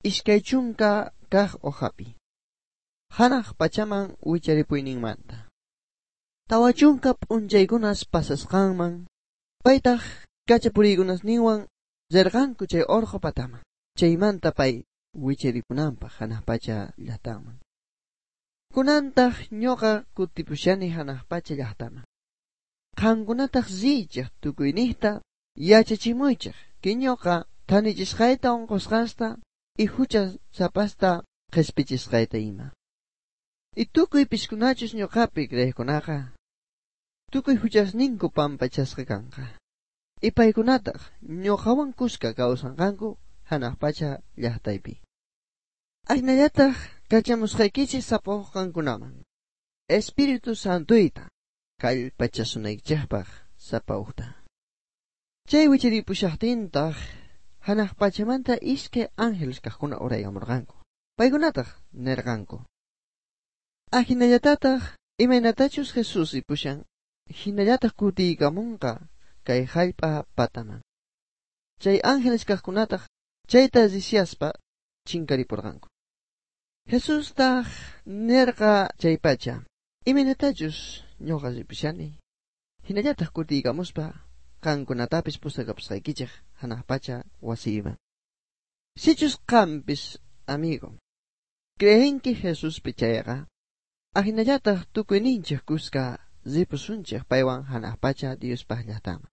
20 kaj hojapi. Hanaj pachaman wicharipuyninmanta. 40 p'unchaykunas pasasqanman, paytaj kachapuriykunasninwan rirqanku chay orqo pataman. Chaymanta pay wicharipunanpaq hanaq pacha llaqtaman. Kunantaq ñuqa kutipushani hanaq pacha llaqtaman. Qankunataq riychej tukuyniqta yachachimuychej que ñuqa thanichisqayta unqusqasta y hucha sapasta qhispichisqayta ima. Y tukuy piskunachus ñuqapi creeqkunaqa tukuy huchasninku pampachasqa kanqa. Y paykunataq ñuqawan kuska kawsanqanku hanaq pacha llaqtaypi. Ajinallataq kachamusqaykichis sapaqankunaman. Espíritu Santoyta kallpachasunaykichejpaq sapa ujta. Chay wicharipushaqtintaq hanaq pachamanta iskay ángeles kaqkuna uraykamurqanku. Paykunataq nirqanku: Ajinallatataq imaynatachus Jesús ripushan, hinallataq kutiykamunqa kay hallp'a pataman. Chay ángeles kaqkunataq chayta risiaspa chinkaripurqanku. Jesustaq nirqa chaypacha: Imaynatachus ñuqa ripushani, hinallataq kutiykamuspa qankunatapis pusakapusqaykichej hanaq pacha wasiyman. Sichus qampis, amigo, creenki Jesuspi chayqa, ajinallataq tukuyninchej kuska ripusunchej paywan hanaq pacha Diospaq llaqtaman.